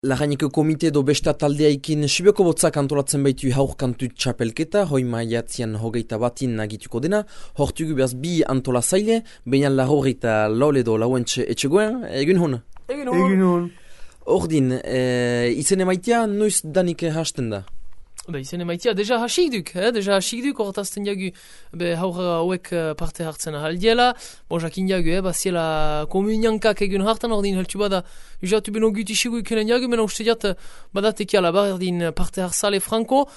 Larraineko komite do besta taldeaikin Sibioko botzak antolatzen baitu haur kantu txapelketa, hoi maiatzian hogeita batin nagituko dena, hortugu behaz bi antola zaile, baina lahor eta laule do lauentxe etxegoen, egun hon? Egun hon. Ordin, izen emaitia noiz danik hasten da? Izen emaitia, deja hasik duk, horretazten jagu haur hauek parte hartzen ahaldiela, jakin jagu, baziela komuniankak egun hartan, ordin heltu bada, usatu beno gutisigu ikenen jagu, mena uste diat badatekiala, bardin parte harzale franko,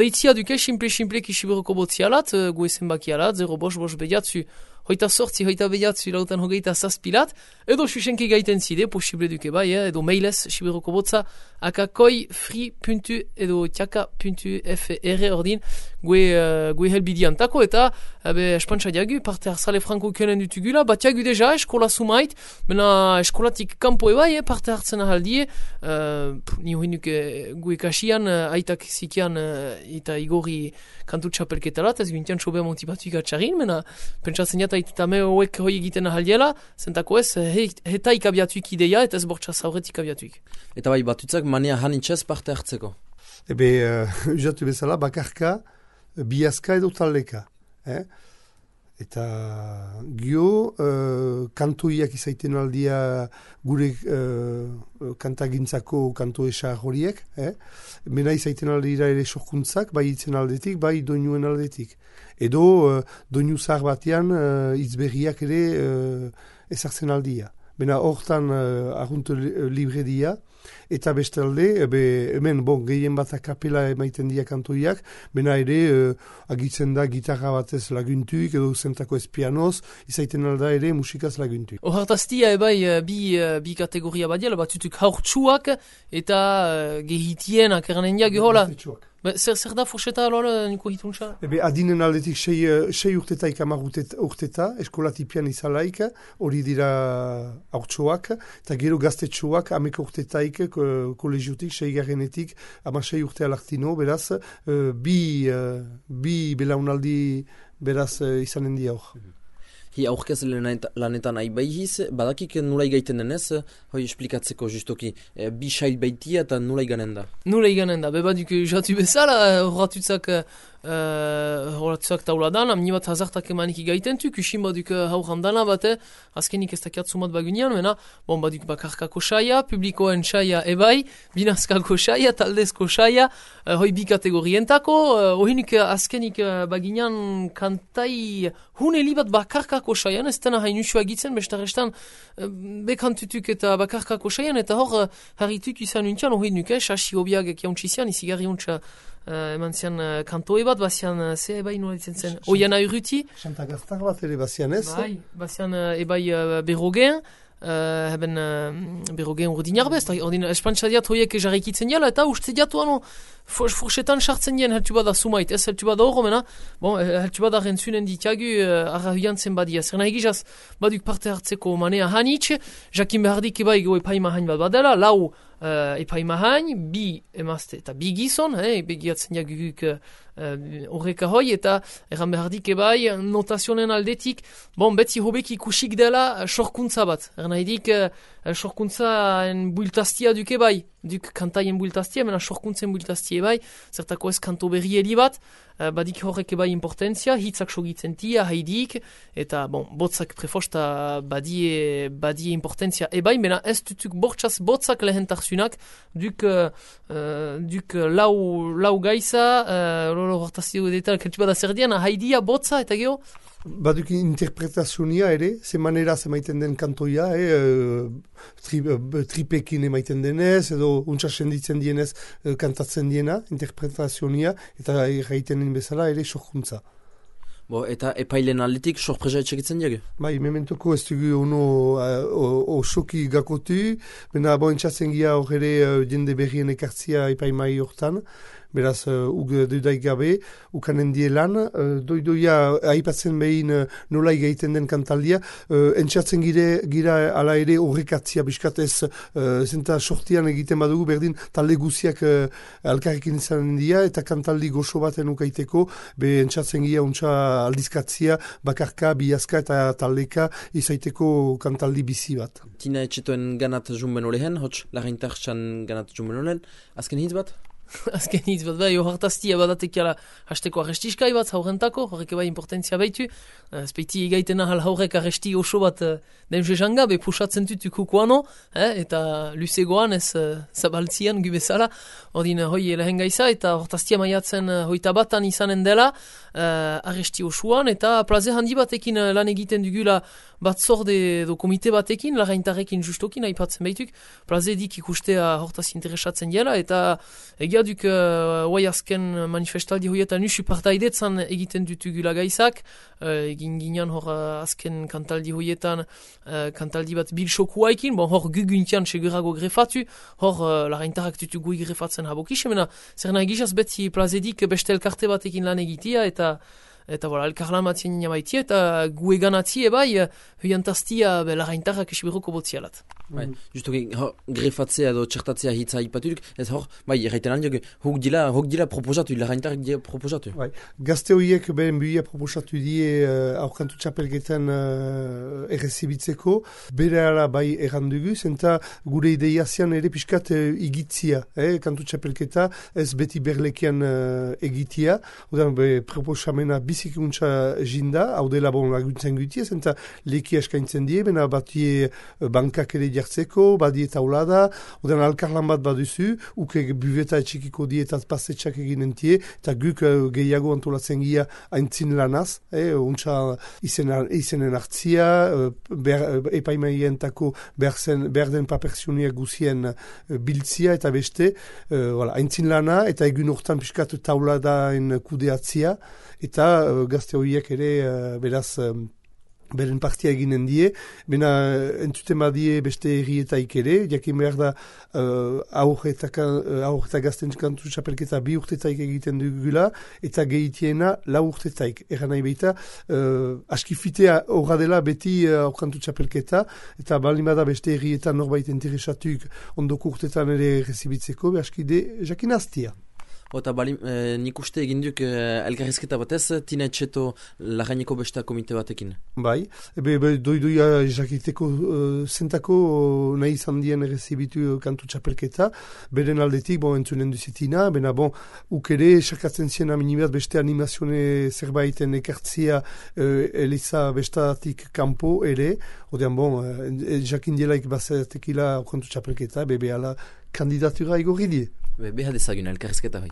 deitzia duke, simple kisiberoko botzialat, goezen bakialat, 0 bediatzu, hoita sortzi, hoita bediatzu, lautan hogeita zazpilat, edo susenki gaiten zide, posible duke bai, edo mailez, siberoko botza, akakoi.edo tiaka.fr ordin, gue helbidiantako, eta, espantsa diagu, parte harzale franko kenen dutugula, bat diagu deja, eskola sumait, mena eskolatik kampo bai, parte hartzen ahaldie, ni hoinuke gue kasian, aitak zikian, eta igori kantu txapelketalat, ez gintian sobe motivatuik atxarin, mena pentsatzen jata eta me hoek hoi egiten ahaldiela, zentako ez, hetaik abiatuik ideia, eta ez bortxa zauretik abiatuik. Eta bai batutzak manea hanitxez parte hartzeko? Usatu bezala, bakarka, biazka edo taldeka. Eta gio, kantoiak izaiten aldia gure kantagintzako kanto esa horiek. Mena izaiten aldira ere sorkuntzak, bai itzen aldetik, bai doinuen aldetik. Edo doinu zahar batean itzberriak ere ezartzen aldia. Bena hortan arrunt libre dia, eta bestalde, hemen gehien bat akapela emaiten dia kantoiak, bena ere agitzen da gitarra batez laguntuik, edo zentako ez pianoz, izaiten alda ere musikaz laguntuik. Hortaztia bi kategoria badiela, batutuk haurtsuak eta gehitien akeranen diagu hola. Zer da forseta alola niko hituntza? Adinen aldetik 6 urtetaik 10 urteta, eskolatipian izalaik, hori dira haurtsuak, eta gero gaztetsuak 10 urtetaik kolegiotik, 6 garrenetik, 6 urte alartino, beraz, bi belaunaldi beraz izanen di hor. Hi aurkez lanetan aibaihiz, badakik nulai gaiten denez, hoi esplikatzeko justoki, bi sail baitia eta nulai ganen da? Nulai ganen da, bebaduk jatu bezala, horatutzak tauladan, amni bat hazartak emanik gaitentu, kusin baduk haurandana bate, azkenik ez dakiat sumat bagunean, mena, baduk bakarkako saia, publikoen saia ebai, binazkako saia, taldezko saia, hoi bi kategorientako, hoinik azkenik bagunean kantai huneli bat bakarkako saian, ez dena hain usua egitzen, bestarestan bekantutuk eta bakarkako saian, eta hor harrituk izan untxan, hori nuke, sasi hobiak ekiauntzizian, izigarri untxa eman zian kantoe bat, bazian ze ebai nola ditzen zen, oian airuti. Xanta gaztar bat ere bazian ez? Bai, bazian ebai berrogen, haben berrogen urdinar bez, ordin espantsa diat hoiek jarrikitzen jala, eta uste diatu forsetan sartzen dien heltu bada sumait, ez heltu bada horro mena, heltu bada rentzunen ditiagu arrahuian zen badia. Zer nahi gizaz, baduk parte hartzeko manea hanitz, jakin behardik ebai epaima hain bat badela, lau epaima hain, bi emazte eta bi gizon, begiatzen jaguk horreka hoi, eta erran behardik ebai notazionen aldetik, beti hobek ikusik dela sorkuntza bat. Erran nahidik sorkuntzaen bultaztia duke bai, duk kantaien bultaztia, mena sorkuntzen bultaztia bai, zertako ez kanto berri bat, badik horrek ebai importantzia, hitzak sogitzen tia, haidik, eta botzak prefosta badie importantzia ebai, mena ez dutuk bortxaz botzak lehentarzunak, duk lau gaiza, hortazio detal, keltu bada zer dian, haidia botza, eta geho? Baduk interpretazionia ere, ze manera emaiten den kantoia, tripekin emaiten denez, edo untsa senditzen dienez kantatzen diena, interpretazionia, eta gaitenen bezala ere sorkuntza. Eta epailen aldetik sorpresa etxekitzen diago? Bai, mementoko ez dugu osoki gakotu, bena entzatzen gira hor ere jende berrien ekartzia epaimai hortan, beraz, doidaik gabe, ukanen die lan, doidoia aipatzen behin nola egiten den kantaldia, entxatzen gira ala ere horrekatzia biskatez, zenta sortian egiten badugu berdin talde guziak alkarrekin izan dira, eta kantaldi goxo baten ukaiteko, entxatzen gira untxa aldizkatzia, bakarka, biazka eta taldeka izaiteko kantaldi bizi bat. Tina etxetoen ganat jumben olehen, hotx lagintartxan ganat jumben olen, azken hitz bat? Azken hitz bat, bai, ohartaztia badatekiala hasteko arrestiskai bat, haurentako, horrek bai importantzia baitu. Speiti egaiten ahal haurek arresti oso bat demse janga, be pusatzen tutu kukuano, eta luzegoan ez zabaltzian gubezala, ordin hoi lehen gaiza, eta ohartaztia maiatzen hoita batan izanen dela, arresti osoan, eta plaze handi batekin lan egiten dugula batzorde do komite batekin, lagaintarrekin justokin aipatzen baituk, plaze dik ikustea hortaz interesatzen dela, eta egia duk oai azken manifestaldi hoietan usu partaidetzan egiten dutugula gaizak, egin ginean hor azken kantaldi hoietan kantaldi bat bilxokuaikin, bon hor guguntian segurago grefatu, hor lagaintarrak dutugui grefatzen habokis, mena zer nahi gizaz beti plazedik beste elkarte batekin lan egitea, eta voilà, elkarlan batzien inamaitia, eta gu eganatzi ebai, huiantaztia lagaintarrak esibiroko botzialat. Bai, justu grefatzea edo txertatzea hitza ipaturik, ez hor, bai, erraiten aldiok, hok dila proposatu, lagaintarrak dira proposatu. Bai, gazte horiek behen buia proposatu die aurkantu txapelketan errezibitzeko, bere ala bai errandugu, zenta gure ideia zian ere pixkat igitzia, kantu txapelketa, ez beti berlekian egitia, odan proposamena bizikuntza jinda, hau dela bon laguntzen gutia, zenta leki eskaintzen die, bena batie bankak ere jartzeko, badie taulada, odan alkarlan bat baduzu, uke buveta etxikiko dietat pasetxak eginen tie, eta guk gehiago antolatzen gira aintzin lanaz, untsa izenen hartzia, epaimaientako behar den papertsioniak guzien biltzia eta beste, aintzin lana, eta egun hortan piskat tauladaen kudeatzia, eta gazte horiek ere beraz beren partia eginen die, bena entzuten badie beste herrietaik ere, jakin behar da aur eta gazten kantu txapelketa 2 urtetaik egiten dugula, eta gehitiena 4 urtetaik. Eran nahi behita, askifitea horra dela beti aurkantu txapelketa, eta balin bada beste herrietan norbait interesatuk ondoko urtetan ere rezibitzeko, askide jakin aztia. Eta nik uste egin duk elkarrizketa batez, Tina etxeto lagaineko besta komite batekin. Bai, doidoia jakiteko zentako nahi izan dien errezibitu kantu txapelketa, beren aldetik, entzunen duzitina, bena ukere esakatzen zien aminibat beste animazione zerbaiten ekartzia Eliza bestatik kanpo ere, odean jakin dielaik bazatekila kantu txapelketa, behala kandidatura igorri die. Beha dezagun elkarrizketa bai.